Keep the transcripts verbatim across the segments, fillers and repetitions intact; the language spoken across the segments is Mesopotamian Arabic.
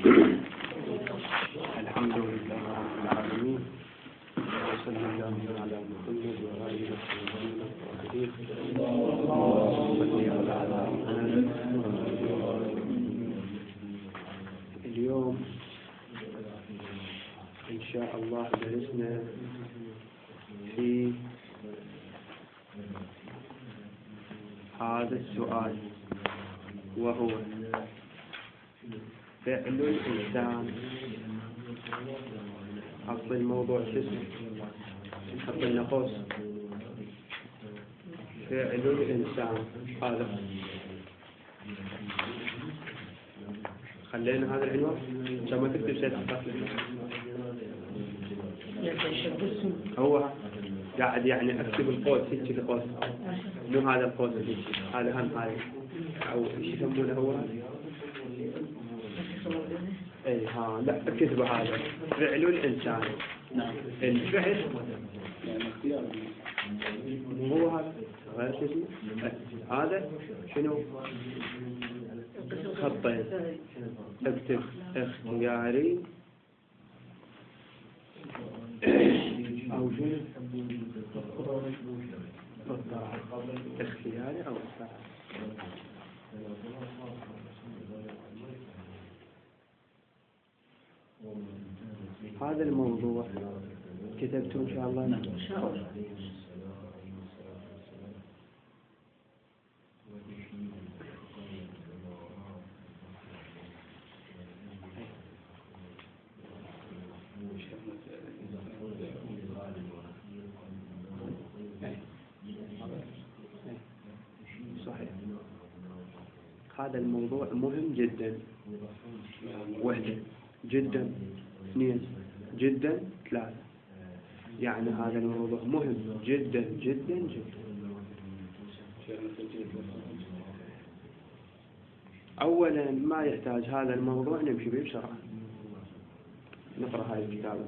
الحمد لله رب العالمين، وصلى الله على محمد وآله وصحبه وسلم. اليوم إن شاء الله درسنا في هذا السؤال، وهو فعل الإنسان. حط الموضوع شسمه، نحط لنا قوس. فعل الإنسان هذا، خلينا هذا العنوان عشان ما تكتب شيء تحط. هو قاعد يعني اكتب القوس هيك القوس، مو هذا القوس هيك، هذا هم هاي او ايش يسمونه هو. اي ها لا اكتبوا هذا فعل الانسان. نعم الفعل مو هو هذا غير شيء. هذا شنو؟ خطين. اكتب اختياري او شنو؟ اختياري او اختياري. هذا الموضوع كتبته إن شاء الله. إن شاء الله. صحيح. هذا الموضوع مهم جدا. وحدة جدا، اثنين جدا، ثلاثة. يعني هذا الموضوع مهم جدا جدا جدا. أولا ما يحتاج هذا الموضوع نمشي به بسرعة. نقرأ هاي الكتابة.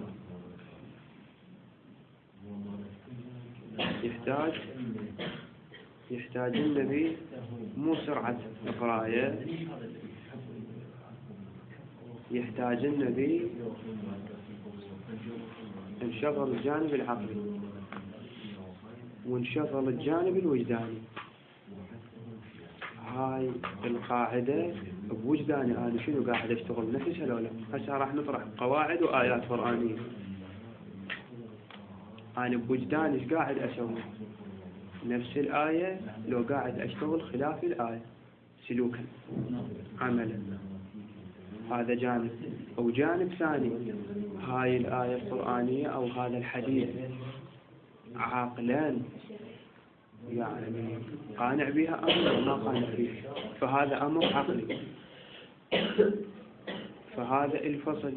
يحتاج يحتاج النبي مو سرعة قراءة، يحتاج النبي انشغل الجانب العقلي وانشغل الجانب الوجداني. هاي القاعدة بوجداني أنا شنو قاعد أشتغل نفسها لو لا. هسه راح نطرح قواعد وآيات قرآنية. أنا بوجداني إيش قاعد أسوي؟ نفس الآية لو قاعد أشتغل خلاف الآية سلوكا عملا. هذا جانب. أو جانب ثاني، هاي الآية القرآنية أو هذا الحديث عقلا يعني قانع بها أمر ما قانع بها، فهذا أمر عقلي. فهذا الفصل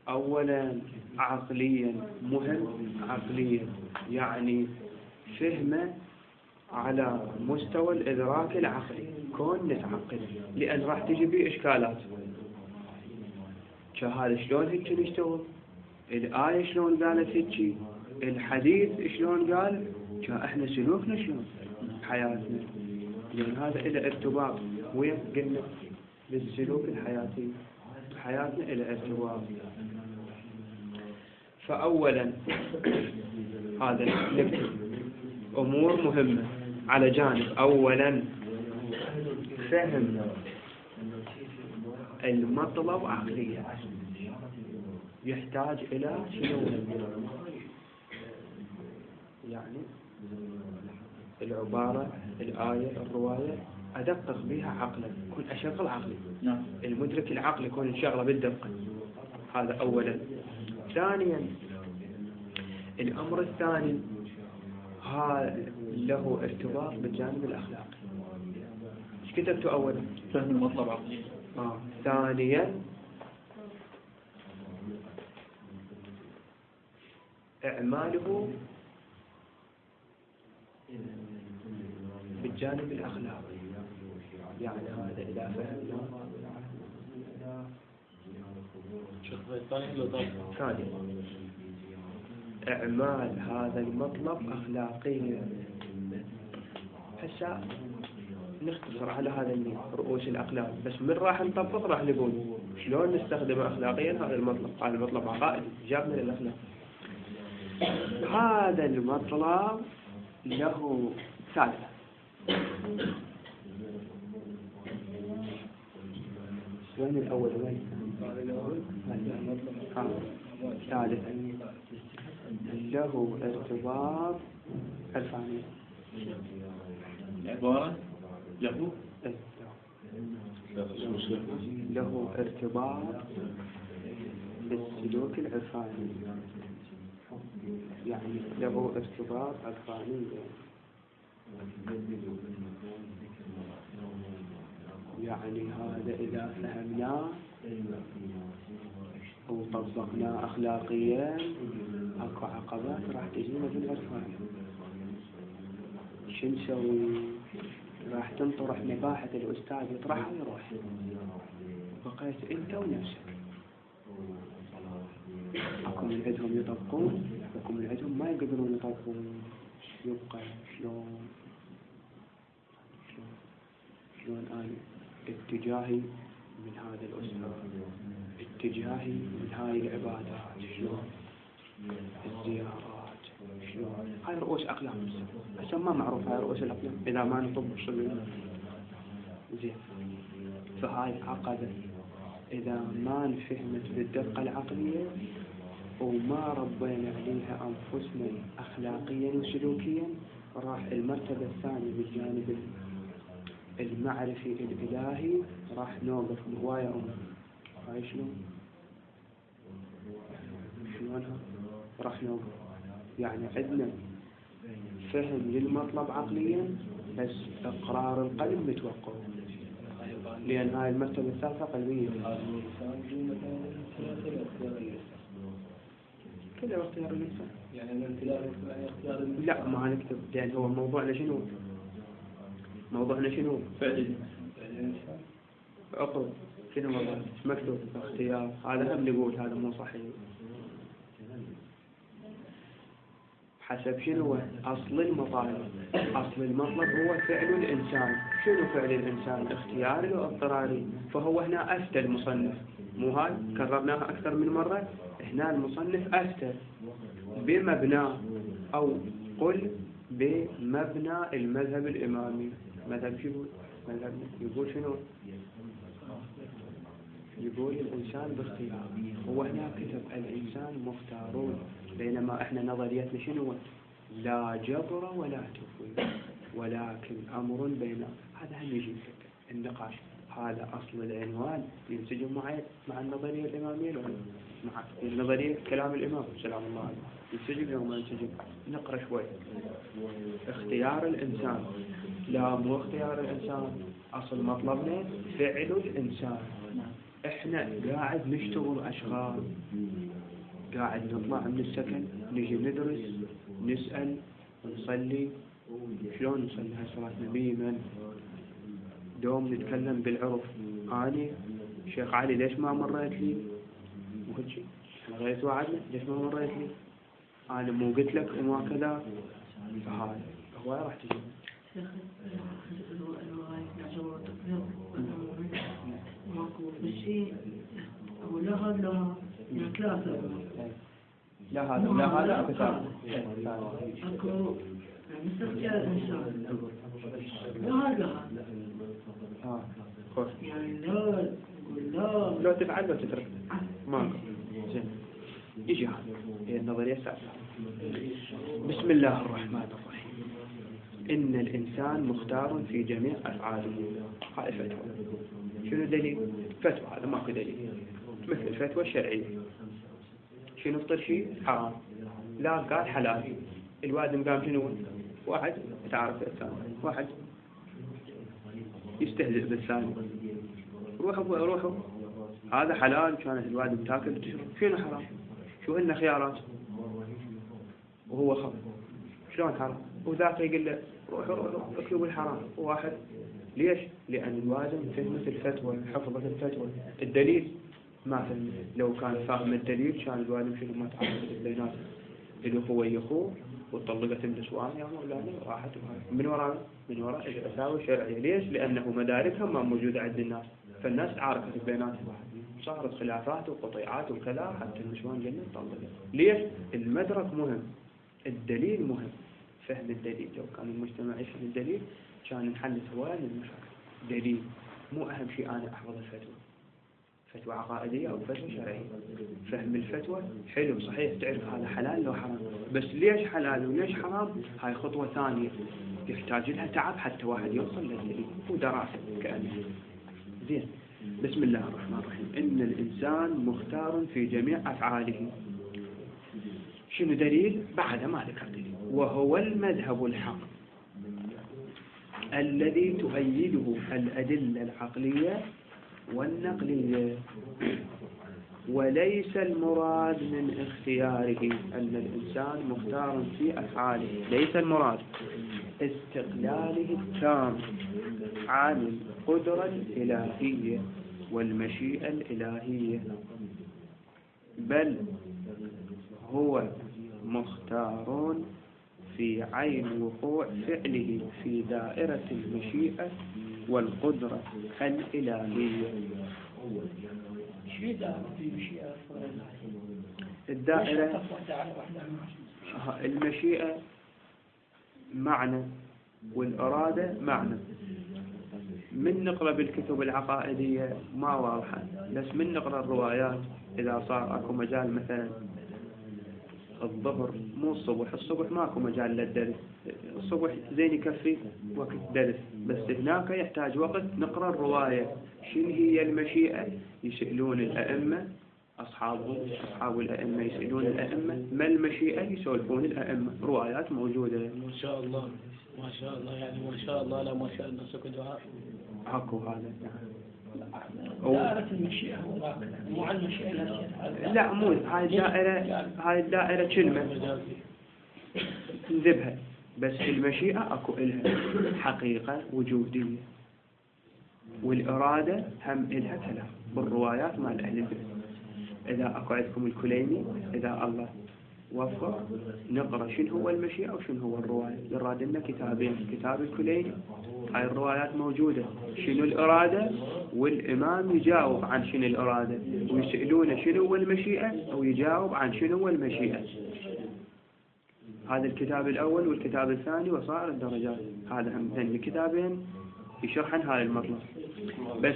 أولا عقليا مهم. عقليا يعني فهمه على مستوى الإدراك العقلي، كون نتعقل، لأن راح تجي بي إشكالات. كهذا شلون هيك نشتغل؟ الآية شلون قالت هيك؟ الحديث شلون قال؟ كإحنا سلوكنا شلون حياتنا؟ لأن هذا إلى ارتباط وين قلنا بالسلوك الحياتي، حياتنا إلى ارتباط. فأولا هذا نكتب أمور مهمة على جانب. أولا فهم المطلب عقليا، يحتاج إلى شنو؟ يعني العبارة، الآية، الرواية أدقق بها عقلا، كن أشغل عقلي. المدرك العقلي يكون انشغله بالدقة. هذا أولا. ثانيا الأمر الثاني هذا له ارتباط بالجانب الأخلاقي. ايش كتبته أولا؟ فهم المطلب عقلي. آه. ثانيا إعماله بالجانب الأخلاقي. يعني هذا إذا فهمنا ثاني إعمال هذا المطلب أخلاقيا. هسه نختصر على هذا النوع رؤوس الأقلام، بس من راح نطبق راح نقول شلون نستخدم أخلاقيا هذا المطلب. هذا المطلب عقائدي جابنا للأخلاق. هذا المطلب له ثالثة. وين الأول وين ثالثا له ارتباط الفاني. عبارة له له ارتباط بالسلوك العرفاني، يعني له ارتباط عرفاني. يعني هذا إذا فهمناه وطبقناه أخلاقيا أكو عقبات راح تجينا بالعرفان. شو نسوي؟ راح تنطرح مباحث الأستاذ يطرحها ويروح، بقيت أنت ونفسك. أكو من عندهم يطبقون، أكو من عندهم ما يقدرون يطبقون. يبقى شلون شلون شلون أنا اتجاهي من هذا الأستاذ، اتجاهي من هاي العبادات، شلون الزيارات، شلون هاي رؤوس أقلام. بس ما معروف هاي رؤوس الأقلام إذا ما نطبق شغل زين. فهاي عقبة إذا ما نفهمت بالدقة العقلية وما ربينا عليها أنفسنا أخلاقيا وسلوكيا، راح المرتبة الثانية بالجانب المعرفي الإلهي راح نوقف هواية أمور. هاي شلون شلونها راح نوقف؟ يعني عندنا فهم للمطلب عقليا بس إقرار القلب متوقف، لأن هاي المرتبة الثالثة قلبية. كذا اختيار الإنسان يعني اختيار. لا ما هنكتب، لأن هو موضوعنا شنو؟ موضوعنا شنو؟ فعل عقل. شنو موضوع مكتوب؟ اختيار. هذا هم نقول هذا مو صحيح. حسب شنو أصل المطالب؟ أصل المطلب هو فعل الإنسان. شنو فعل الإنسان؟ اختياري واضطراري. فهو هنا أفتى المصنف، مو هاي كررناها أكثر من مرة. هنا المصنف أفتى بمبنى أو قل بمبنى المذهب الإمامي. مذهب شو يقول؟ مذهب يقول شنو؟ يقول الإنسان باختيار. هو هنا كتب الإنسان مختارون، بينما إحنا نظريتنا شنو؟ لا جبر ولا تفويض ولكن أمر بين. هذا هم يجي النقاش. هذا أصل العنوان ينسجم مع مع النظرية الإمامية ولا مع النظرية كلام الإمام سلام الله عليه؟ ينسجم أو ما ينسجم؟ نقرأ شوي. اختيار الإنسان. لا مو اختيار الإنسان، أصل مطلبنا فعل الإنسان. إحنا قاعد نشتغل أشغال، قاعد نطلع من السكن نجي ندرس نسأل ونصلي. شلون نصلي هاي صلاتنا بيمن؟ دوم نتكلم بالعرف. أنا شيخ علي ليش ما مريت لي؟ مو هيك شيء. احنا غيرت وعدنا ليش ما مريت لي؟ أنا مو قلت لك وما كذا. فهاي هو راح تجي. لا هذا ثلاثة. لا هذا لا هذا كتاب. أكو مستخدم الإنسان. لا هذا. آه خوش. يعني لا لا. لو تفعل لو تترك ما. زين. يجي هذا هي النظرية الثالثة. بسم الله الرحمن الرحيم. إن الإنسان مختار في جميع أفعاله. هاي فتوى. شنو الدليل؟ فتوى. هذا ماكو دليل. مثل الفتوى الشرعية. شنو فطر شيء حرام، لا قال حلال. الوادم قام شنو؟ واحد تعرف الثاني، واحد يستهزئ بالثاني. روحوا روحوا هذا حلال كانت الوادم تاكل تشرب. شنو حرام؟ شو هن خيارات وهو خب. شلون حرام؟ وذاك يقول له روحوا روحوا اكلوا بالحرام. واحد ليش؟ لأن الوادم فهمت الفتوى، حفظت الفتوى. الدليل ما فهم. لو كان فاهم الدليل كان الوالد شنو ما تعرف بيناتهم. الأخوة يخوه وطلقت النسوان يا مولانا راحت من وراء من وراء الفتاوى الشرعية. ليش؟ لأنه مداركهم ما موجودة عند الناس، فالناس عارفة بيناتهم، صارت خلافات وقطيعات وكذا حتى النسوان جنة طلقت. ليش؟ المدرك مهم، الدليل مهم، فهم الدليل. لو كان المجتمع يفهم الدليل كان نحل هواية من المشاكل. دليل مو أهم شيء أنا أحفظ الفتوى، فتوى عقائدية أو فتوى شرعية. فهم الفتوى حلو صحيح، تعرف هذا حلال لو حرام، بس ليش حلال وليش حرام هاي خطوة ثانية يحتاج لها تعب حتى واحد يوصل للدليل ودراسة كأنه. زين، بسم الله الرحمن الرحيم. إن الإنسان مختار في جميع أفعاله. شنو دليل؟ بعد ما ذكر دليل. وهو المذهب الحق الذي تؤيده الأدلة العقلية والنقلية، وليس المراد من اختياره أن الإنسان مختار في أفعاله، ليس المراد استقلاله التام عن القدرة الإلهية والمشيئة الإلهية، بل هو مختار في عين وقوع فعله في دائرة المشيئة والقدرة الإلهية. الدائرة المشيئة معنى والإرادة معنى. من نقرأ بالكتب العقائدية ما واضحة، بس من نقرأ الروايات إذا صار أكو مجال مثلا الظهر مو الصبح، الصبح ماكو مجال للدرس، الصبح زين يكفي وقت درس، بس هناك يحتاج وقت نقرأ الرواية. شنو هي المشيئة؟ يسألون الأئمة أصحابهم، أصحاب الأئمة يسألون الأئمة ما المشيئة؟ يسولفون الأئمة، روايات موجودة. ما شاء الله ما شاء الله، يعني ما شاء الله لا ما شاء الله سكت دعاء أكو هذا. دائرة المشيئة مو على المشيئة. لا مو هاي الدائرة، هاي الدائرة كلمة نذبها، بس المشيئة أكو إلها حقيقة وجودية، والإرادة هم إلها كلام بالروايات مال أهل البيت. إذا أكو عندكم الكليني إذا الله وفق نقرأ شنو هو المشيئة وشنو هو الرواية. يراد لنا كتابين، كتاب الكليني هاي الروايات موجودة شنو الإرادة، والإمام يجاوب عن شنو الإرادة، ويسألونه شنو هو المشيئة أو يجاوب عن شنو هو المشيئة. هذا الكتاب الأول والكتاب الثاني وصائر الدرجات، هذا هم ثاني كتابين يشرحن هذا المطلب. بس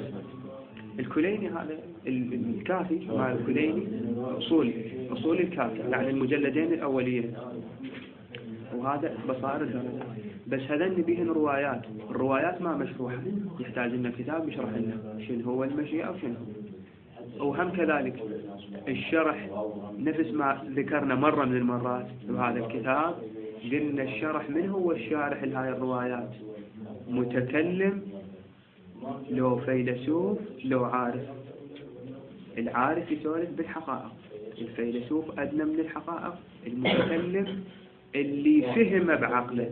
الكليني هذا الكافي مع الكليني أصول أصول الكافي، يعني المجلدين الأوليين، وهذا بصائر الدرجات. بس هذا بيهن روايات، الروايات ما مشروحة، يحتاج لنا كتاب يشرح لنا شنو هو المشيئة وشنو هو. وهم كذلك الشرح نفس ما ذكرنا مرة من المرات بهذا الكتاب، قلنا الشرح من هو الشارح لهذه الروايات؟ متكلم لو فيلسوف لو عارف. العارف يسولف بالحقائق، الفيلسوف أدنى من الحقائق، المتكلم اللي فهم بعقله.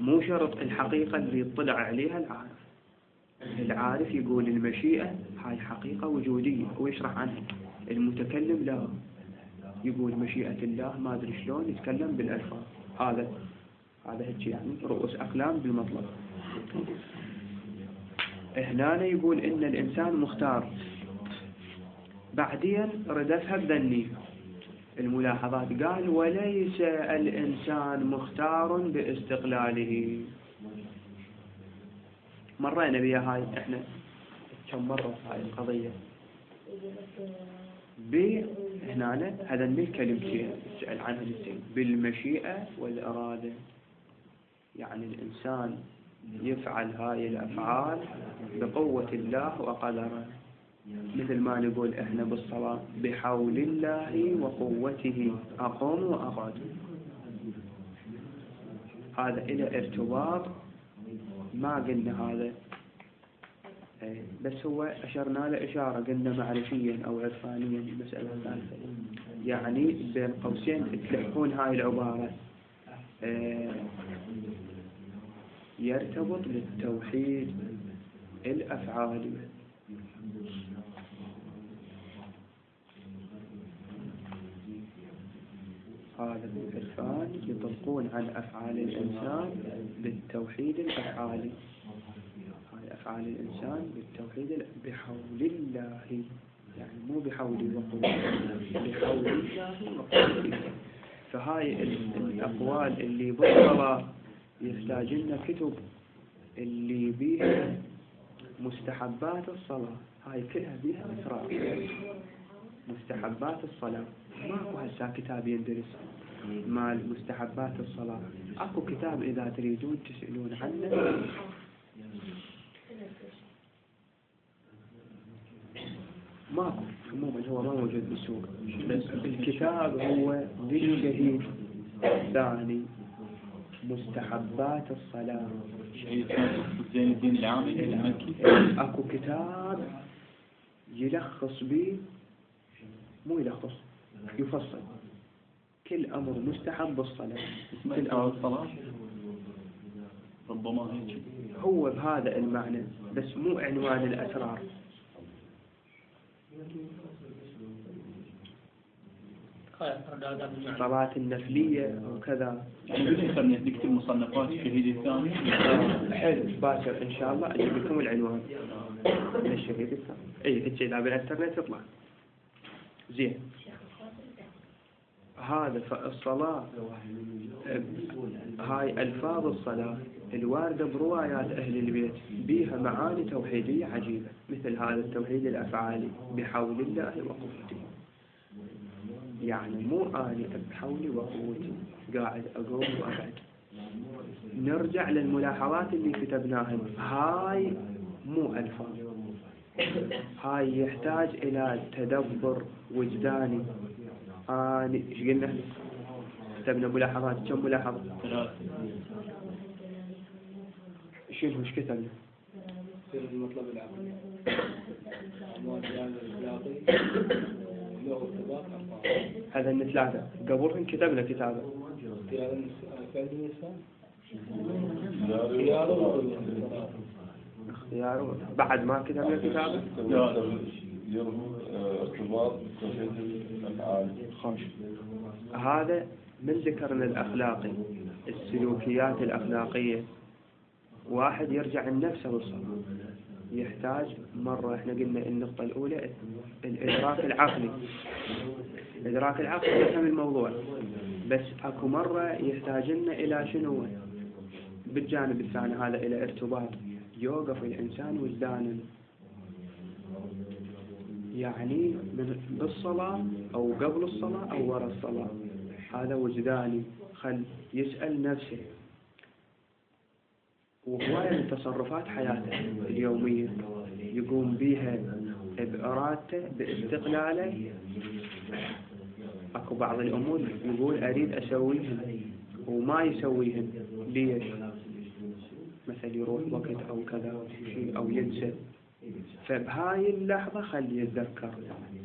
مو شرط الحقيقة اللي يطلع عليها العارف. العارف يقول المشيئة هاي حقيقة وجودية ويشرح عنها، المتكلم لا، يقول مشيئة الله ما أدري شلون يتكلم بالألفاظ. هذا هذا هيك يعني رؤوس أقلام بالمطلب. هنا يقول إن الإنسان مختار، بعدين ردفها بذني الملاحظات، قال وليس الإنسان مختار باستقلاله. مرينا بها هاي احنا كم مرة هاي القضية ب هنا هذا الكلمتين سأل عنها الاثنين بالمشيئة والإرادة. يعني الإنسان يفعل هاي الأفعال بقوة الله وقدره، مثل ما نقول احنا بالصلاة بحول الله وقوته أقوم وأقعد. هذا إلى ارتباط ما قلنا هذا، بس هو أشرنا له إشارة قلنا معرفيا أو عرفانيا مسألة ثالثة. يعني بين قوسين تلحقون هاي العبارة يرتبط بالتوحيد الأفعالي. هذا العرفان يطلقون على أفعال الإنسان بالتوحيد الأفعالي. هاي أفعال الإنسان بالتوحيد بحول الله، يعني مو بحولي وقوتي، بحول الله وقوتي. فهاي الأقوال اللي بالصلاة يحتاج لنا كتب اللي بيها مستحبات الصلاة، هاي كلها بيها أسرار. مستحبات الصلاة ماكو هسه كتاب يندرس مال مستحبات الصلاة، اكو كتاب إذا تريدون تسألون عنه ماكو، عموما هو ما موجود بالسوق، بس الكتاب هو للشهيد الثاني مستحبات الصلاة. شهيد زين الدين العامي المكي. اكو كتاب يلخص به، مو يلخص، يفصل كل أمر مستحب بالصلاة. كل أمر الصلاة ربما هيك هو بهذا المعنى، بس مو عنوان الأسرار. الصلاة النفلية وكذا. بالإنترنت نكتب مصنفات الشهيد الثاني. حلو، باكر إن شاء الله أجيب لكم العنوان للشهيد الثاني. أي هيك إذا بالإنترنت يطلع زين. هذا فالصلاة هاي ألفاظ الصلاة الواردة بروايات أهل البيت بيها معاني توحيدية عجيبة، مثل هذا التوحيد الأفعالي بحول الله وقوته. يعني مو أنا بحولي وقوتي قاعد أقوم وأقعد. نرجع للملاحظات اللي كتبناها، هاي مو ألفاظ، هاي يحتاج إلى تدبر وجداني. آه ايش قلنا؟ كتبنا ملاحظات، كم ملاحظة؟ ثلاثة. شنو ايش كتبنا؟ المطلب العقلي هذا من ثلاثة، قبلهم كتبنا كتابة. اختياره بعد ما كتبنا كتابة؟ ارتباط بتوحيد الأفعال. خوش. هذا من ذكرنا الأخلاقي، السلوكيات الأخلاقية. واحد يرجع لنفسه بالصلاة يحتاج مرة، احنا قلنا النقطة الأولى الإدراك العقلي. الإدراك العقلي يفهم الموضوع، بس أكو مرة يحتاج لنا إلى شنو بالجانب الثاني، هذا إلى ارتباط، يوقف الإنسان وجدانا، يعني من بالصلاة أو قبل الصلاة أو وراء الصلاة، هذا وجداني. خل يسأل نفسه، وهواية من تصرفات حياته اليومية يقوم بها بإرادته باستقلاله. أكو بعض الأمور يقول أريد أسويهن وما يسويهن، ليش؟ مثل يروح وقت أو كذا شيء أو ينسى. فبهاي اللحظة خلي يتذكر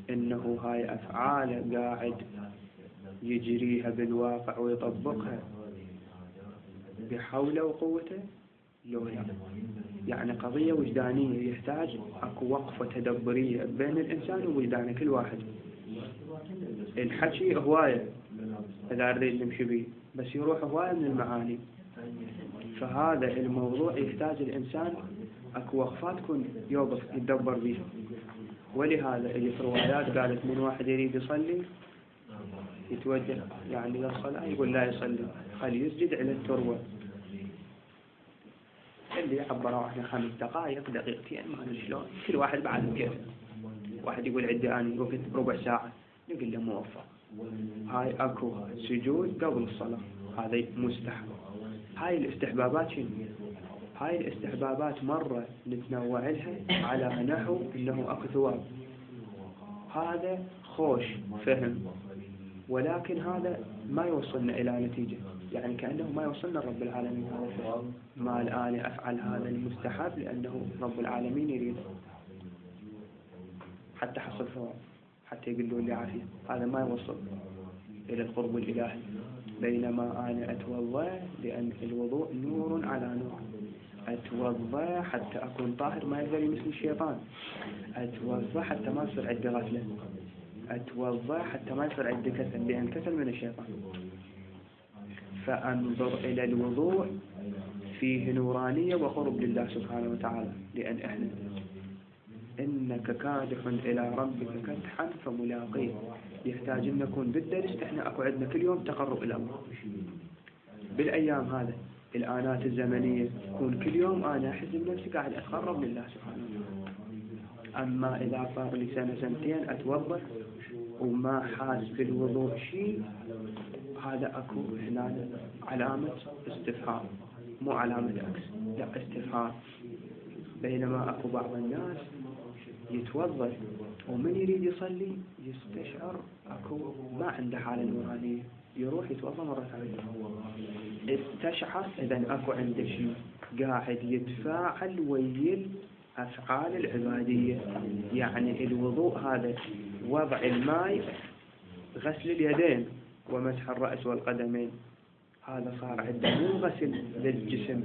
إنه هاي أفعاله قاعد يجريها بالواقع ويطبقها بحوله وقوته لو لا. يعني قضية وجدانية، يحتاج أكو وقفة تدبرية بين الإنسان ووجدانه كل واحد. الحكي هواية إذا نريد نمشي به، بس يروح هواية من المعاني. فهذا الموضوع يحتاج الإنسان أكو وقفات تكون يوقف يتدبر بيها. ولهذا اللي في روايات قالت من واحد يريد يصلي يتوجه يعني للصلاة يقول لا يصلي، خلي يسجد على التروة. اللي عبروا احنا خمس دقائق دقيقتين ما ادري شلون، كل واحد بعد كيف. واحد يقول عندي اني وقت ربع ساعة، نقول له موفق. هاي اكو سجود قبل الصلاة، هذا مستحب. هاي الاستحبابات شنو؟ هاي الاستحبابات مرة نتنوع لها على نحو انه اكو ثواب، هذا خوش فهم، ولكن هذا ما يوصلنا الى نتيجة، يعني كأنه ما يوصلنا رب العالمين. ما الآن أفعل هذا المستحب لأنه رب العالمين يريد حتى حصل ثواب، حتى يقول لي عافية، هذا ما يوصل إلى القرب الإلهي. بينما أنا أتوضأ لأن الوضوء نور على نور، أتوضأ حتى أكون طاهر ما يقدر يمسني الشيطان، أتوضأ حتى ما يصير عندي غفلة، أتوضأ حتى ما يصير عندي كسل، لأن كسل من الشيطان. فأنظر إلى الوضوء فيه نورانية وقرب لله سبحانه وتعالى، لأن إحنا إنك كادح إلى ربك كدحا فملاقيه، يحتاج أن نكون بالدرس. إحنا أكو عندنا كل يوم تقرب إلى الله بالأيام هذا الآنات الزمنية، كون كل يوم أنا أحس بنفسي قاعد أتقرب لله سبحانه وتعالى. أما إذا صار لي سنة سنتين أتوضأ وما حاس بالوضوء شيء، هذا أكو هنا علامة استفهام، مو علامة عكس، لا استفهام. بينما أكو بعض الناس يتوضأ ومن يريد يصلي يستشعر أكو ما عنده حالة نورانية، يروح يتوضأ مرة ثانية، استشعر إذا أكو عنده شيء قاعد يتفاعل ويل أفعال العبادية. يعني الوضوء هذا وضع الماء، غسل اليدين ومسح الرأس والقدمين، هذا صار عنده مو غسل للجسم،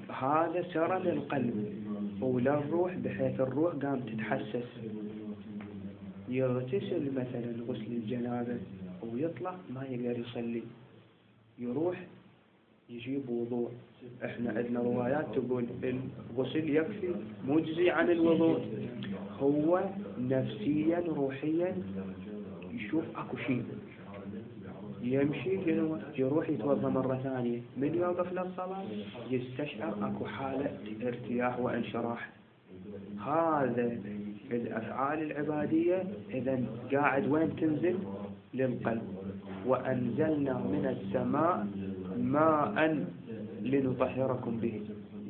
هذا سرى للقلب وللروح، بحيث الروح قام تتحسس. يغتسل مثلا غسل الجنابة ويطلع ما يقدر يصلي، يروح يجيب وضوء. احنا عندنا روايات تقول الغسل يكفي مجزي عن الوضوء. هو نفسيا روحيا يشوف اكو شيء، يمشي يروح يتوضا مرة ثانية، من يوقف للصلاة يستشعر اكو حالة ارتياح وانشراح. هذا الافعال العبادية اذا قاعد وين تنزل؟ للقلب. وانزلنا من السماء ماء لنطهركم به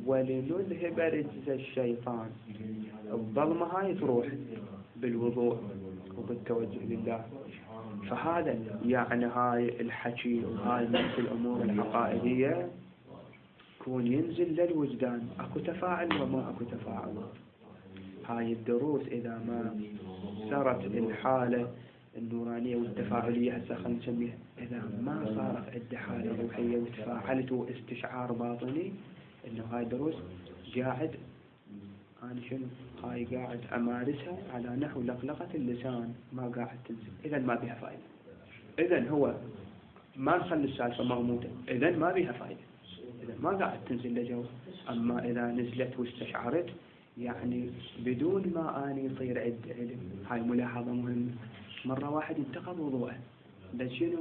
ولنذهب رجز الشيطان. الظلمة هاي تروح بالوضوء وبالتوجه لله. فهذا يعني هاي الحكي وهاي نفس الأمور العقائدية كون ينزل للوجدان، أكو تفاعل وما أكو تفاعل. هاي الدروس إذا ما سرت الحالة النورانية والتفاعلية، هسه خلينا نسميها، إذا ما صارت عندي حالة روحية وتفاعلت واستشعار باطني، إنه هاي دروس قاعد أنا شنو هاي قاعد أمارسها على نحو لقلقة اللسان، ما قاعد تنزل، إذا ما بها فائدة. إذا هو ما نخلي السالفة مغموضة، إذا ما بها فائدة، إذا ما قاعد تنزل لجو. أما إذا نزلت واستشعرت يعني بدون ما أني يصير عندي علم. هاي ملاحظة مهمة. مرة واحد انتقض وضوءه، بس شنو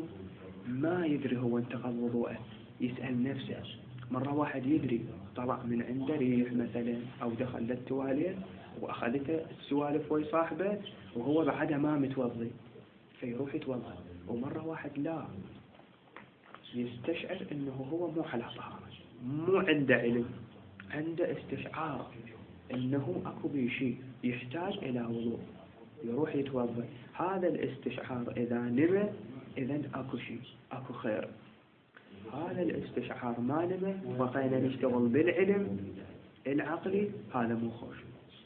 ما يدري هو انتقض وضوءه، يسأل نفسه. مرة واحد يدري طلع من عنده ريح مثلا، أو دخل للتواليت وأخذته السوالف ويا صاحبه وهو بعدها ما متوضي، فيروح يتوضا. ومرة واحد لا، يستشعر إنه هو مو على طهارة، مو عنده علم، عنده استشعار إنه أكو بشيء يحتاج إلى وضوء، يروح يتوضا. هذا الاستشعار إذا نمى إذن أكو شيء، أكو خير. هذا الاستشعار ما نمى بقينا نشتغل بالعلم العقلي، هذا مو خوش.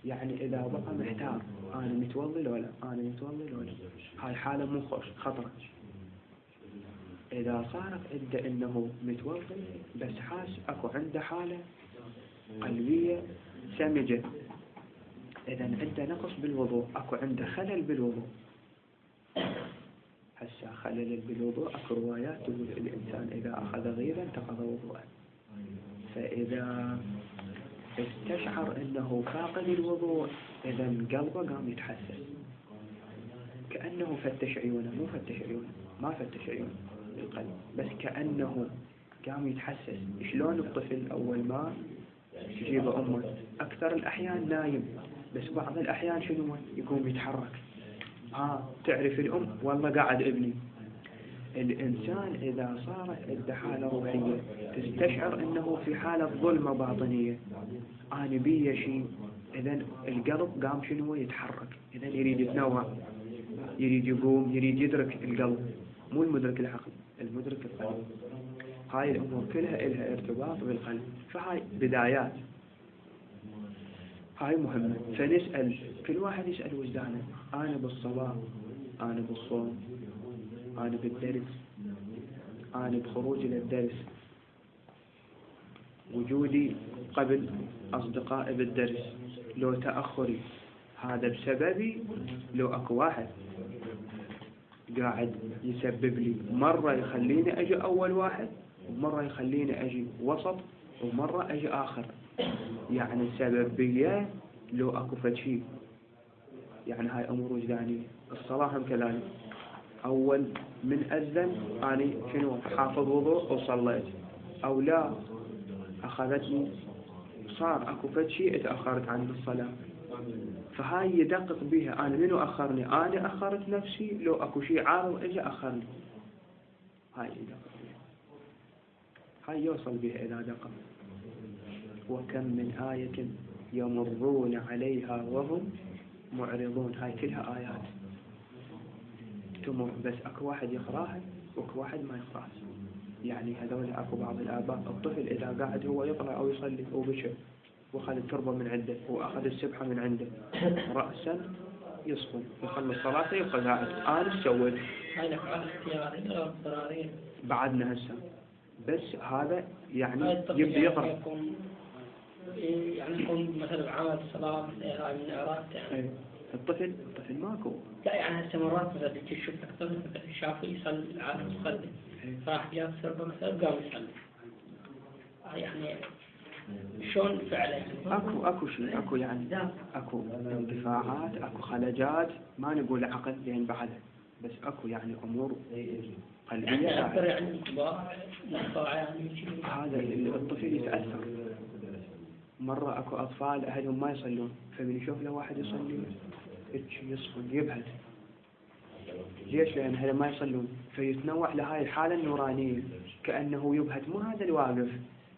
يعني إذا بقى محتار أنا متوضي لولا أنا متوضي لولا، هاي حالة مو خوش، خطرة. إذا صارت عنده إنه متوضي بس حاس أكو عنده حالة قلبية سمجة، إذا عنده نقص بالوضوء، أكو عنده خلل بالوضوء. هسا خلل بالوضوء أكو روايات تقول الإنسان إذا أخذ غيبا انتقض وضوءه. فإذا استشعر أنه فاقد الوضوء إذا قلبه قام يتحسس، كأنه فتش عيونه، مو فتش عيونه، ما فتش عيونه القلب، بس كأنه قام يتحسس. شلون الطفل أول ما تجيب أمه أكثر الأحيان نايم، بس بعض الأحيان شنو يقوم يتحرك. ها تعرف الأم والله قاعد ابني. الإنسان إذا صارت عنده حالة روحية تستشعر أنه في حالة ظلمة باطنية، أنا بي شيء، إذا القلب قام شنو يتحرك، إذا يريد يتنوع، يريد يقوم، يريد يدرك. القلب مو المدرك العقل، المدرك القلب. هاي الأمور كلها إلها ارتباط بالقلب. فهاي بدايات، هاي مهمة. فنسأل كل واحد يسأل وجدانه، أنا بالصلاة، أنا بالصوم، أنا بالدرس، أنا بخروج إلى الدرس، وجودي قبل أصدقائي بالدرس، لو تأخري هذا بسببي، لو أكو واحد قاعد يسبب لي مرة يخليني أجي أول واحد، ومرة يخليني أجي وسط، ومرة أجي آخر. يعني السببية لو أكو فشي، يعني هاي أمور وجدانية. الصلاة هم كذلك، أول من أذن أنا شنو حافظ وضوء وصليت، أو لا أخذتني صار أكو فشي اتأخرت عن الصلاة، فهاي يدقق بها أنا منو أخرني، أنا أخرت نفسي لو أكو شيء عارض إجا أخرني. هاي يدقق بها، هاي يوصل بها إلى دقق. وكم من آية يمرون عليها وهم معرضون، هاي كلها آيات تمر، بس أكو واحد يقراها وأكو واحد ما يقراها. يعني هذول أكو بعض الآباء الطفل إذا قاعد هو يقرأ أو يصلي وبشر وأخذ التربة من عنده وأخذ السبحة من عنده رأسا يصفن يخلص صلاته يبقى قاعد. أنا ايش سويت؟ هاي الأفعال اختيارية أو اضطرارية؟ بعدنا هسه، بس هذا يعني هاي الطفل يبدأ يقرأ. يعني يكون يعني يكون مثلا عمل صلاة هاي من إعراض يعني. الطفل الطفل ماكو. لا يعني هسه مرات مثلا تشوف لك طفل مثلا شافه يصلي عارف يصلي، فراح جاب سربة مثلا قام يصلي. يعني شلون فعله؟ اكو اكو شيء، اكو يعني اكو اندفاعات، اكو خلجات، ما نقول عقل لين بعدها، بس اكو يعني امور قلبيه يعني اكثر يعني انطباع انطباع يعني هذا الطفل يتاثر. مره اكو اطفال اهلهم ما يصلون، فمن يشوف له واحد يصلي يصفن يبهت. ليش؟ لان هذا ما يصلون، فيتنوع لهاي الحاله النورانيه كانه يبهت. مو هذا الواقف،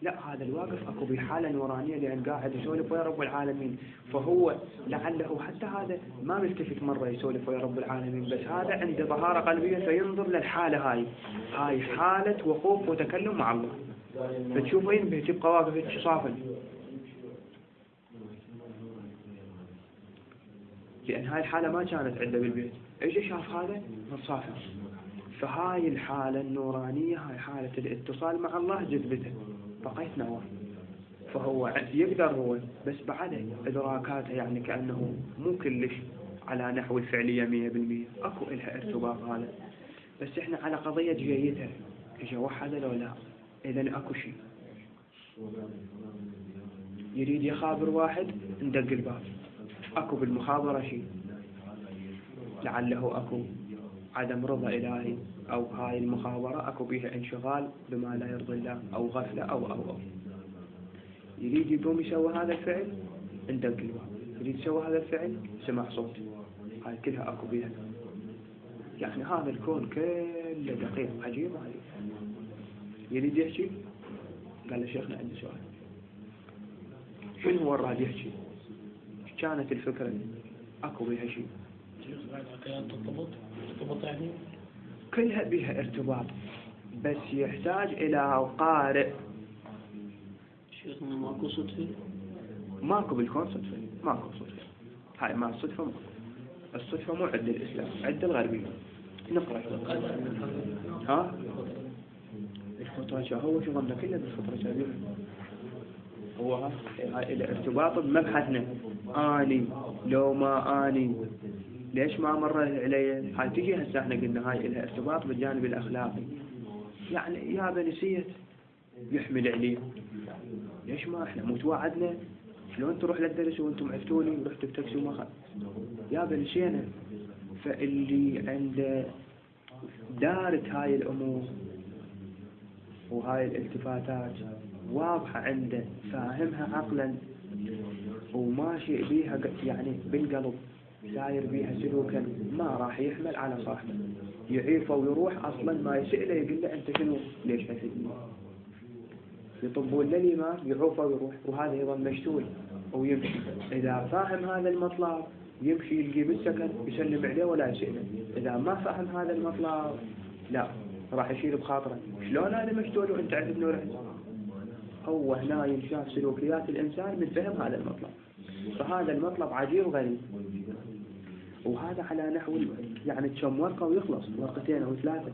لا هذا الواقف اكو بحاله نورانيه لان قاعد يسولف ويا رب العالمين، فهو لعله حتى هذا ما ملتفت مره يسولف ويا رب العالمين، بس هذا عنده طهاره قلبيه فينظر للحاله هاي، هاي حاله وقوف وتكلم مع الله، فتشوفه ينبه تبقى واقف صافن، لان هاي الحاله ما كانت عنده بالبيت، اجى شاف هذا متصافن. فهاي الحاله النورانيه هاي حاله الاتصال مع الله جذبته بقيت نواه، فهو يقدر هو بس بعده إدراكاته يعني كأنه مو كلش على نحو الفعلية مية بالمية، أكو إلها ارتباط هذا، بس إحنا على قضية جيتها إجا وحده لو لا، إذن أكو شيء يريد يخابر واحد ندق الباب، أكو بالمخابرة شيء لعله أكو عدم رضا إلهي، أو هاي المخابرة أكو بيها انشغال بما لا يرضي الله أو غفلة أو أو أو يريد يقوم يسوي هذا الفعل ندق الباب، يريد يسوي هذا الفعل سمع صوت، هاي كلها أكو بيها. يعني هذا الكون كله دقيق عجيب عليه. يريد يحكي قال له شيخنا عندي سؤال، شنو هو الراد يحكي؟ كانت الفكرة أكو بيها شيء ترتبط ترتبط يعني كلها بها ارتباط، بس يحتاج إلى قارئ. شيخنا ماكو صدفة؟ ماكو بالكون صدفة، ماكو صدفة، هاي ما الصدفة ماكو. الصدفة مو عند الإسلام، عند الغربية. نقرأ ها الفطرة هو شو ظننا كله بالفطرة شابه هو هاي الارتباط بمبحثنا آني لو ما آني ليش ما مر علي. هاي تجي هسه احنا قلنا هاي لها ارتباط بالجانب الأخلاقي، يعني يا بنسيت يحمل عليه، ليش ما احنا مو توعدنا شلون تروح للدرس وانتم عفتوني ورحتوا بتاكسي وما خد يا بنسينا. فاللي عنده دارت هاي الأمور وهاي الالتفاتات واضحة عنده فاهمها عقلا وماشي بيها يعني بالقلب ساير بيها سلوكا، ما راح يحمل على صاحبه يعيفه ويروح أصلا ما يسأله يقول له أنت شنو ليش حسدني، يطبون للإمام يعوفه ويروح وهذا يظل مشتول ويمشي. إذا فاهم هذا المطلب يمشي يلقي بالسكن يسلم عليه ولا يسأله، إذا ما فهم هذا المطلب لا راح يشيل بخاطره شلون أنا مشتول وأنت عندك نور عندك. هو هنا ينشاف سلوكيات الإنسان من فهم هذا المطلب، فهذا المطلب عجيب غريب، وهذا على نحو يعني تشم ورقة ويخلص ورقتين أو ثلاثة،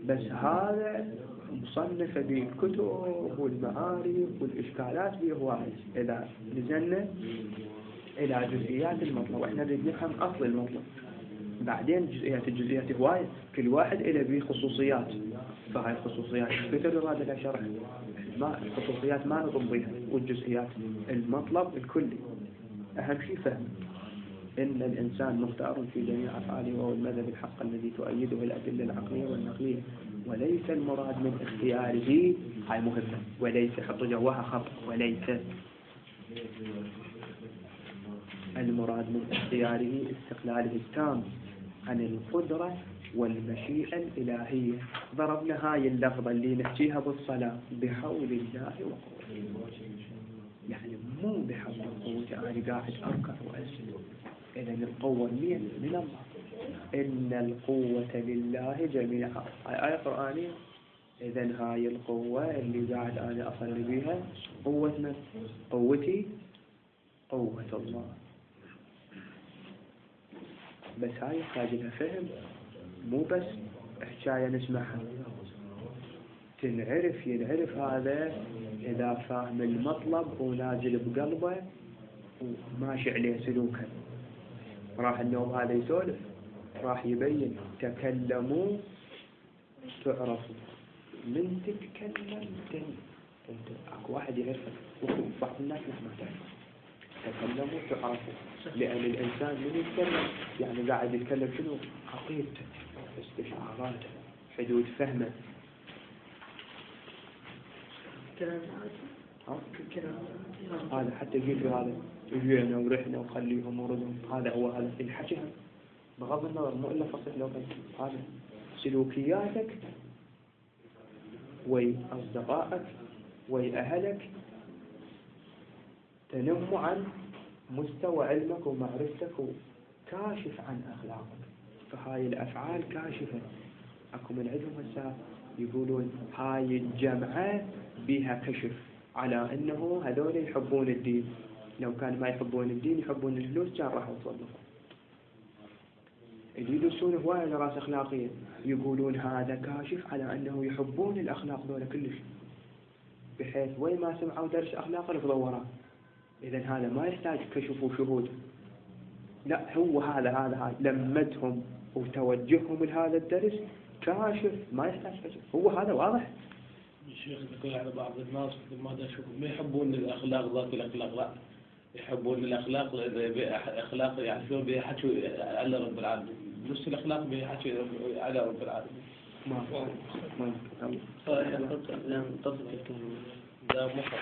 بس هذا مصنفة بالكتب والمعارف والإشكالات فيه واحد. إذا نزلنا إلى جزئيات المطلب وإحنا نريد نفهم أصل المطلب بعدين جزئيات الجزئيات هواية، كل واحد إله به خصوصيات، فهاي الخصوصيات كثر يراد لها شرح. ما الخصوصيات ما نطبيها، والجزئيات المطلب الكلي أهم شيء فهم إن الإنسان مختار في جميع أفعاله، وهو المذهب الحق الذي تؤيده الأدلة العقلية والنقلية، وليس المراد من اختياره. هاي مهمة، وليس حط جواها خط، وليس المراد من اختياره استقلاله التام عن القدرة والمشيئة الإلهية. ضربنا هاي اللفظة اللي نحكيها بالصلاة بحول الله وقوته، يعني مو بحول قوته أنا قاعد أركع وأسجد، إذن القوة من من الله. إن القوة لله جميعا، هاي آية قرآنية. إذن هاي القوة اللي قاعد أنا أصلي بها قوة من؟ قوتي قوة الله. بس هاي يحتاج لها فهم، مو بس حكاية نسمعها، تنعرف. ينعرف هذا إذا فاهم المطلب ونازل بقلبه وماشي عليه سلوكه. راح النوم هذا يسولف، راح يبين تكلموا تعرفوا، من تتكلم تن انت اكو واحد يعرفك، وبعض الناس ما تعرف. تكلموا تعرفوا، لأن الإنسان من يتكلم يعني قاعد يتكلم شنو؟ عقيدته، استشعاراته، حدود فهمه. كلام هذا حتى يجي في هذا يجينا ورحنا وخليهم وردهم، هذا هو هذا الحكي. بغض النظر مو إلا فصيح لو كان هذا سلوكياتك وي أصدقائك وي أهلك تنم عن مستوى علمك ومعرفتك وكاشف عن أخلاقك. فهاي الأفعال كاشفة. أكو من عندهم هسه يقولون هاي الجمعة بها كشف على أنه هذول يحبون الدين، لو كان ما يحبون الدين يحبون الفلوس كان راح يصدقوا. اللي يدرسون هواية دراسة أخلاقية يقولون هذا كاشف على أنه يحبون الأخلاق دولة كلش، بحيث وين ما سمعوا درس أخلاق رفضوا وراه. إذن هذا ما يحتاج كشف وشهود، لا هو هذا هذا هذا لمتهم وتوجههم لهذا الدرس كاشف، ما يحتاج كشف، هو هذا واضح. الشيخ يقول على بعض الناس ما يشوفون ما يحبون الأخلاق ذات الأخلاق، لا يحبون الأخلاق أخلاق يعرفون بها حكوا على رب العالمين، نفس الأخلاق بها حكوا على رب العالمين. ما ما تصل الكلمة ده مخطط.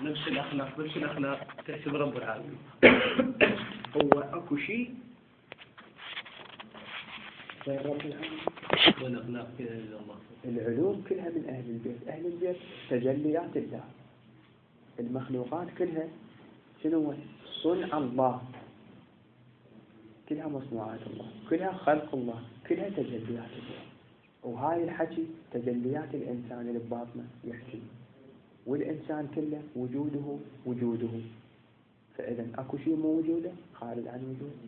نفس الأخلاق نفس الأخلاق تحسب رب العالمين. هو أكو شيء غير رب العالمين. والأخلاق كذا الله. العلوم كلها من أهل البيت، أهل البيت تجليات الله. المخلوقات كلها شنو؟ صنع الله، كلها مصنوعات الله، كلها خلق الله، كلها تجليات الله. وهاي الحكي تجليات الإنسان اللي بباطنه يحكي، والإنسان كله وجوده وجوده. فإذا أكو شيء مو وجوده خارج عن وجوده،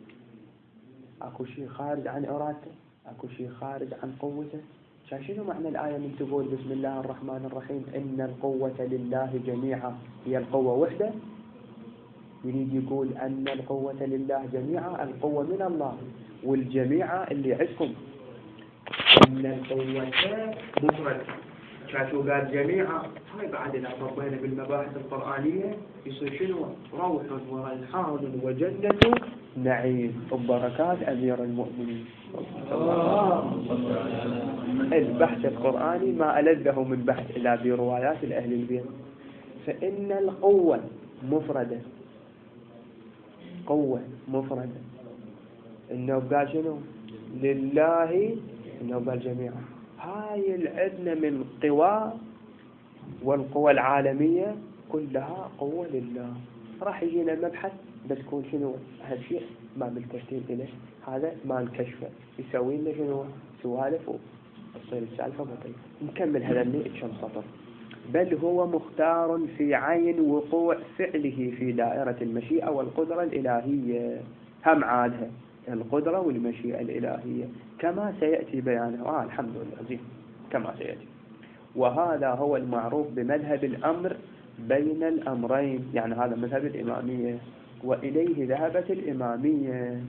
أكو شيء خارج عن إرادته، أكو شيء خارج عن قوته. شنو معنى الآية من تقول بسم الله الرحمن الرحيم إن القوة لله جميعا؟ هي القوة وحده؟ يريد يقول أن القوة لله جميعا، القوة من الله، والجميع اللي عندكم. إن القوة مفرد، شاتو قال جميعا، هاي بعد إذا طبينا بالمباحث القرآنية يصير شنو؟ روح وريحان وجنة نعيم وبركات أمير المؤمنين. البحث القرآني ما ألذه من بحث إلا بروايات الأهل البيت. فإن القوة مفردة، قوة مفردة. إنه قال شنو؟ لله، إنه قال جميعا. هاي العدنا من قوى، والقوى العالمية كلها قوة لله. راح يجينا المبحث بس يكون شنو هالشيء ما بالترتيب إليه، هذا ما نكشفه يسوي لنا شنو سوالف وتصير السالفة بطيئة. نكمل هذا اللي كم سطر. بل هو مختار في عين وقوع فعله في دائرة المشيئة والقدرة الإلهية. هم عادها القدرة والمشيئة الإلهية كما سيأتي بيانه. آه الحمد لله زين كما سيأتي. وهذا هو المعروف بمذهب الأمر بين الأمرين، يعني هذا مذهب الإمامية، وإليه ذهبت الإمامية.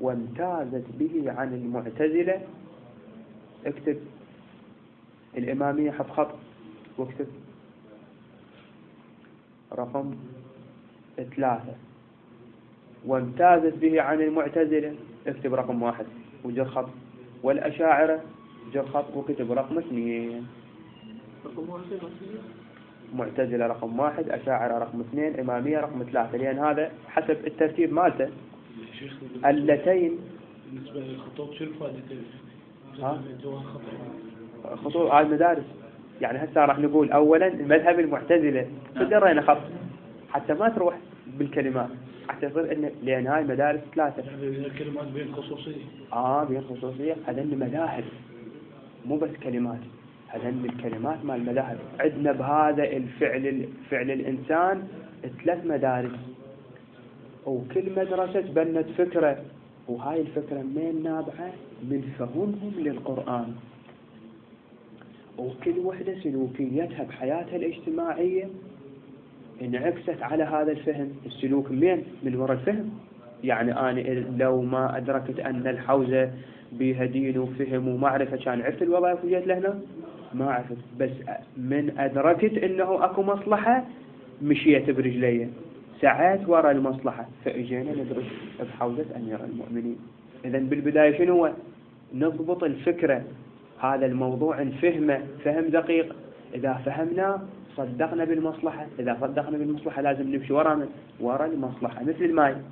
وامتازت به عن المعتزلة. اكتب الإمامية حط خط واكتب رقم ثلاثة. وامتازت به عن المعتزلة اكتب رقم واحد وجر خط. والأشاعرة جر خط وكتب رقم اثنين. معتزلة رقم واحد، أشاعرة رقم اثنين، إمامية رقم ثلاثة، لأن هذا حسب الترتيب مالته. اللتين بالنسبة للخطوط شو الفائدتين؟ ها؟ خطوط على المدارس. يعني هسه راح نقول أولا المذهب المعتزلة فجرينا خط حتى ما تروح بالكلمات، حتى يصير إن لأن هاي مدارس ثلاثة. الكلمات بين خصوصية. آه بين خصوصية. هذين مذاهب مو بس كلمات، هذين الكلمات مال المذاهب. عندنا بهذا الفعل فعل الإنسان ثلاث مدارس، وكل مدرسة تبنت فكرة، وهاي الفكرة من نابعة من فهمهم للقرآن، وكل وحدة سلوكيتها بحياتها الاجتماعية انعكست على هذا الفهم. السلوك من من وراء الفهم. يعني أنا لو ما أدركت أن الحوزة بها دين وفهم ومعرفة كان عرفت الوظائف وجيت لهنا ما عرفت، بس من أدركت أنه أكو مصلحة مشيت برجلي، سعيت وراء المصلحة، فإجينا ندرس بحوزة أمير المؤمنين. إذن بالبداية شنو هو؟ نضبط الفكرة، هذا الموضوع نفهمه فهم دقيق. إذا فهمنا صدقنا بالمصلحة، إذا صدقنا بالمصلحة لازم نمشي وراء وراء المصلحة. مثل الماء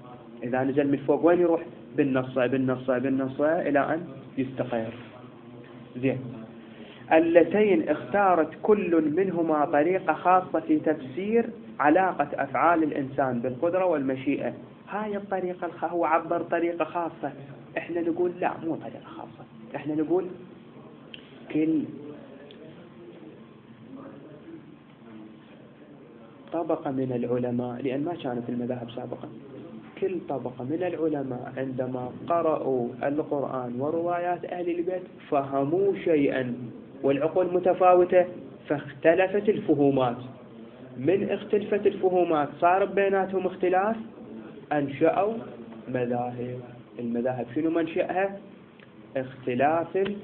إذا نزل من فوق وين يروح؟ بالنصة بالنصة بالنصة إلى أن يستقر. زين. اللتين اختارت كل منهما طريقة خاصة في تفسير علاقة أفعال الإنسان بالقدرة والمشيئة. هاي الطريقة الخ... هو عبر طريقة خاصة، إحنا نقول لا مو طريقة خاصة، إحنا نقول كل طبقة من العلماء، لأن ما كانت المذاهب سابقا، كل طبقة من العلماء عندما قرأوا القرآن وروايات أهل البيت فهموا شيئا والعقول متفاوتة فاختلفت الفهومات. من اختلفت الفهومات صار بيناتهم اختلاف، أنشأوا مذاهب. المذاهب شنو منشأها؟ اختلاف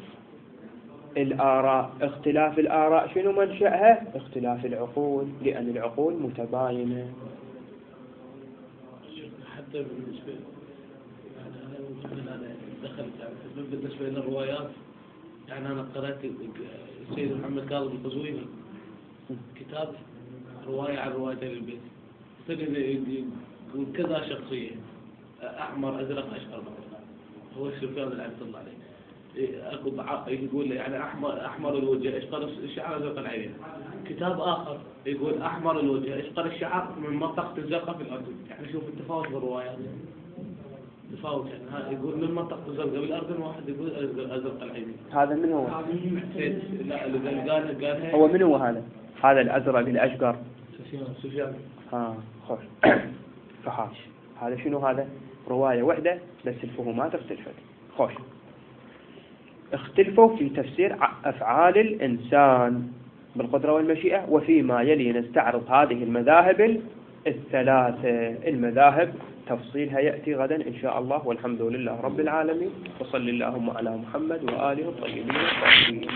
الآراء. اختلاف الآراء شنو منشأها؟ اختلاف العقول، لأن العقول متباينة. حتى بالنسبة أنا دخلت يعني بالنسبة للروايات، يعني أنا قرأت السيد محمد كاظم القزويني كتاب رواية عن رواية البيت، يقول كذا شخصية أحمر أزرق أشقر، هو السفيان اللي عبد الله عليه أكو يقول يعني أحمر أحمر الوجه أشقر الشعر أزرق العين. كتاب آخر يقول أحمر الوجه أشقر الشعر من منطقة الزرقاء في الأردن. يعني شوف التفاوت بالروايات، تفاوت. يعني يقول من منطقة الزرقاء بالأردن، واحد يقول أزرق العين. هذا من هو؟ لا اللي قال قال هو من هو هذا؟ هذا الأزرق الأشقر سفيان سفيان ها خوش فحاش. هذا شنو؟ هذا رواية واحدة بس الفهومات اختلفت. خوش اختلفوا في تفسير أفعال الإنسان بالقدرة والمشيئة. وفيما يلي نستعرض هذه المذاهب الثلاثة. المذاهب تفصيلها يأتي غدا إن شاء الله، والحمد لله رب العالمين، وصل اللهم على محمد وآله الطيبين الطاهرين.